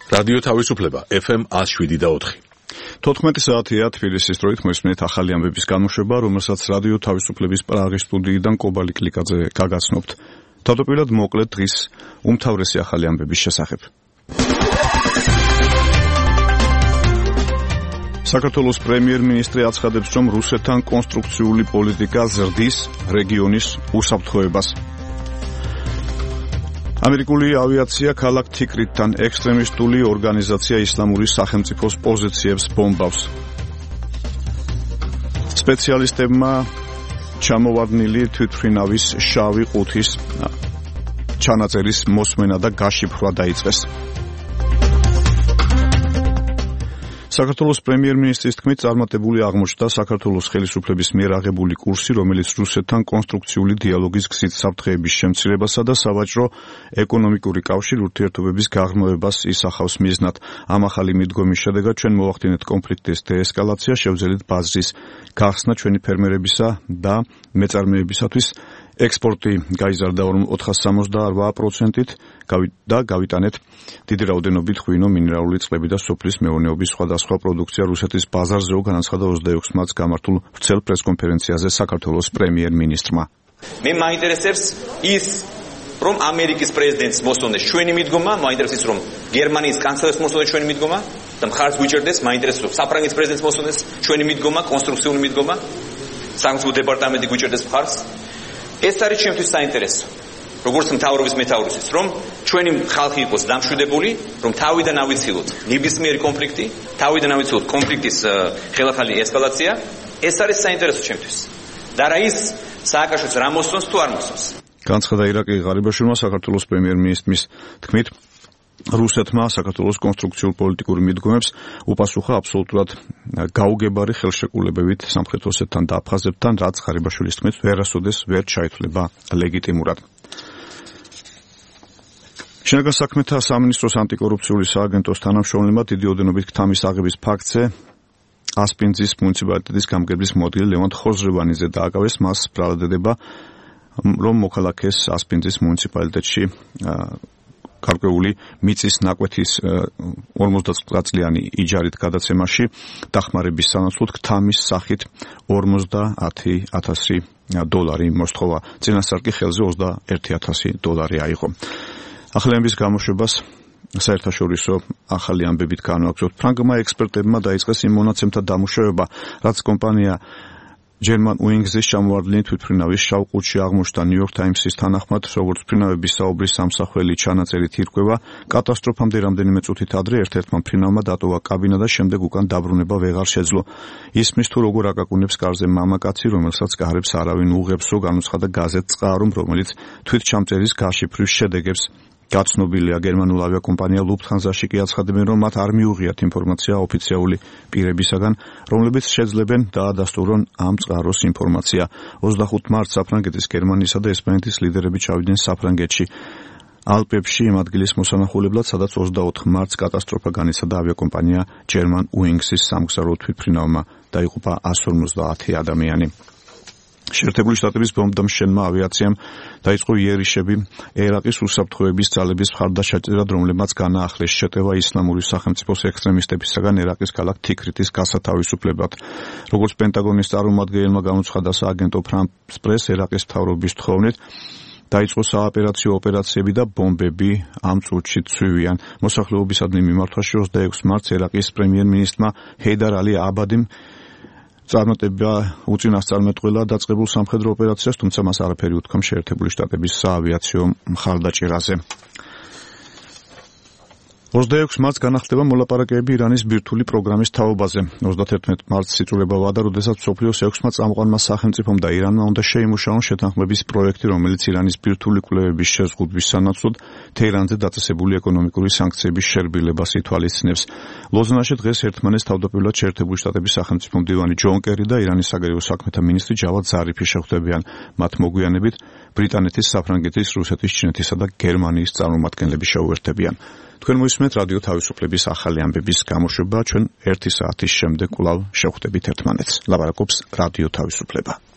რადიო თავისუფლება FM 107.4. 14 საათია თბილისის დროით მოისმენთ ახალი ამბების გამოშვება, რომელსაც რადიო თავისუფლების პრაღის სტუდიიდან კობალი კლიკაძე გაგაცნობთ. თავდაპირველად მოკლედ დღის უმთავრესი ახალი ამბების შესახებ. საქართველოს პრემიერ-მინისტრი აცხადებს, რომ რუსეთთან კონსტრუქციული პოლიტიკა ზრდის რეგიონის უსაფრთხოებას. ამერიკული ავიაცია ქალაქ თიკრიტთან ექსტრემისტული ორგანიზაცია ისლამური სახელმწიფოს პოზიციებს ბომბავს. სპეციალისტებმა ჩამოვარდნილი თვითმფრინავის შავი ყუთის ჩანაწერის მოსმენა და გაშიფრვა დაიწყეს. საქართველოს პრემიერ-მინისტრის თქმით, წარმატებული აღმოჩნდა საქართველოს ხელისუფლების მიერ აღებული კურსი, რომელიც რუსეთთან კონსტრუქციული დიალოგის გზით საფრთხეების შემცირებასა და სავაჭრო ეკონომიკური კავშირ ურთიერთობების გაღრმავებას ისახავს მიზნად. ამ ახალი მიდგომის შედეგად ჩვენ მოვახდინეთ კონფლიქტის დეესკალაცია, შევძელით ბაზრის გახსნა ჩვენი ფერმერებისა და მეწარმეებისათვის. ექსპორტი გაიზარდა 468%-ით და გავიტანეთ დიდი რაოდენობით ღვინო, მინერალური წყლები და სოფლის მეურნეობის სხვადასხვა პროდუქცია რუსეთის ბაზარზეო, განაცხადა 26 მარტს გამართულ ვრცელ პრესკონფერენციაზე საქართველოს პრემიერ-მინისტრმა. მე მაინტერესებს ის, რომ ამერიკის პრეზიდენტს მოსწონდეს ჩვენი მიდგომა, მაინტერესებს რომ გერმანიის კანცლერს მოსწონდეს ჩვენი მიდგომა და მხარს გვიჭერდეს, მაინტერესებს რომ საფრანგეთის პრეზიდენტს მოსწონდეს ჩვენი მიდგომა, კონსტრუქციული მიდგომა, სამართლის დეპარტამენტი გვიჭერდეს მხარს. ეს არის ჩემთვის საინტერესო. როგორც მთავრობის მეთაურისთვის, რომ ჩვენი ხალხი იყოს დამშვიდებული, რომ თავიდან ავიცილოთ ნებისმიერი კონფლიქტი, თავიდან ავიცილოთ კონფლიქტის ხელახალი ესკალაცია, ეს არის საინტერესო ჩემთვის. და რა ის სააკაშოს რა მოსწონს თუ არ მოსწონს. განცხადა ირაკლი ღარიბაშვილმა საქართველოს პრემიერ-მინისტრის თქმით, რუსეთმა საქართველოს კონსტრუქციულ პოლიტიკურ მიდგომებს უპასუხა აბსოლუტურად გაუგებარი ხელშეკრულებებით სამხრეთ ოსეთთან და აფხაზეთთან, რაც ღარიბაშვილის თქმით ვერასოდეს ვერ ჩაითვლება ლეგიტიმურად. შინაგან საქმეთა სამინისტროს ანტიკორუფციული სააგენტოს თანამშრომლებმა დიდი ოდენობით ქთამის აღების ფაქტზე ასპინძის მუნიციპალიტეტის გამგებლის მოადგილე ლევან ხოზრევანიძე დააკავეს. მას ბრალადდება, რომ მოქალაქეს ასპინძის მუნიციპალიტეტში გარკვეული მიწის ნაკვეთის 50 წლიანი იჯარით გადაცემაში დახმარების სანაცვლოდ ქთამის სახით 50,000 დოლარი მოსთხოვა. წინასწარ კი ხელზე 21,000 აიღო. ახალი ამბების გამოშვებას საერთაშორისო ახალი ამბებით განვაგრძობთ. ფრანგმა ექსპერტებმა დაიწყეს იმ მონაცემთა დამუშავება, რაც კომპანია German Wings-ის ჩამოვარდნილი თვითმფრინავის შავ ყუთში აღმოჩნდა. New York Times-ის თანახმად, როგორც მფრინავების საუბრის სამსახველი ჩანაწერით ირკვევა, კატასტროფამდე რამდენიმე წუთით ადრე ერთ-ერთმა მფრინავმა დატოვა კაბინა და შემდეგ უკან დაბრუნება ვეღარ შეძლო. ისმის თუ როგორ აკაკუნებს კარზე მამაკაცი, რომელსაც კარებს არავინ უღებსო, განუცხადა გაზეთ წყარომ, რომელიც თვითჩამწერის გაშიფვრის შედეგებს გაცნობილია. გერმანულ ავიაკომპანია Lufthansa-ში კი აცხადებენ, რომ მათ არ მიუღიათ ინფორმაცია ოფიციალური პირებისაგან, რომლებიც შეძლებენ დაადასტურონ ამ წყაროს ინფორმაცია. 25 მარტს საფრანგეთის, გერმანიისა და ესპანეთის ლიდერები ჩავიდნენ საფრანგეთში ალპებში იმ ადგილის მოსანახულებლად, სადაც 24 მარტს კატასტროფა განიცადა ავიაკომპანია German Wings-ის სამგზავრო თვითმფრინავმა. დაიღუპა 150 ადამიანი. შეერთებული შტატების ბომბდამშენმა ავიაციამ დაიწყო იერიშები ერაყის უსაფრთხოების ძალების მხარდაჭერად, რომლებმაც განაახლეს შეტევა ისლამური სახელმწიფოს ექსტრემისტებისაგან ერაყის ქალაქ თიკრიტის გასათავისუფლებად. როგორც პენტაგონის წარმომადგენელმა განუცხადა სააგენტო France Press, ერაყის მთავრობის თხოვნით დაიწყო საოპერაციო ოპერაციები და ბომბები ამ წუთში ცვივიან. მოსახლეობისადმი მიმართვაში 26 მარტს ერაყის პრემიერ-მინისტრმა ჰეიდარ ალი აბადიმ წარმატება უწინასწარმეტყველა დაწყებულ სამხედრო ოპერაციას, თუმცა მას არაფერი უთქვა შეერთებული შტატების საავიაციო მხარდაჭერაზე. 26 მარტს განახლდება მოლაპარაკებები ირანის ბირთვული პროგრამის თაობაზე. 31 მარტს იწურება ვადა, როდესაც მსოფლიოს 6-მა წამყვანმა სახელმწიფომ და ირანმა უნდა შეიმუშაონ შეთანხმების პროექტი, რომელიც ირანის ბირთვული კვლევების შეზღუდვის სანაცვლოდ თეირანზე დაწესებული ეკონომიკური სანქციების შერბილებას ითვალისწინებს. ლოზანაში დღეს ერთმანეთს თავდაპირველად შეერთებული შტატების სახელმწიფო მდივანი ჯონ კერი და ირანის საგარეო საქმეთა მინისტრი ჯავად ზარიფი შეხვდებიან. მათ მოგვიანებით ბრიტანეთის, საფრანგეთის, რუსეთის, ჩინეთისა და გერმანიის წარმომადგენლები შეუერთდებიან. თქვენ მოისმენთ რადიო თავისუფლების ახალი ამბების გამოშვება. ჩვენ 1 საათის შემდეგ კვლავ შევხვდებით ერთმანეთს. ლაპარაკობს რადიო თავისუფლება.